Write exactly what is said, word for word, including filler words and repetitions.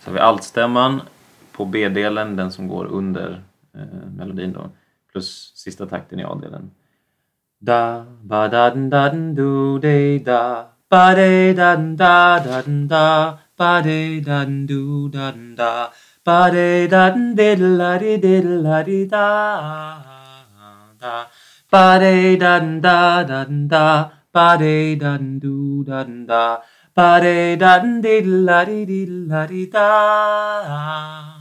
Så har vi altstämman på B-delen, den som går under eh, melodin då. Plus sista takten i A-delen. Da, ba, da, da, do, de, da. Ba, de, da, da, da, da. Ba, de, da, do, da, da. Ba, de, da, diddla, di, diddla, di, da. Da. Ba, de, da, da, da, da. Ba, de, da, do, da, da. Ba, de, da, diddla, di, diddla, di, da.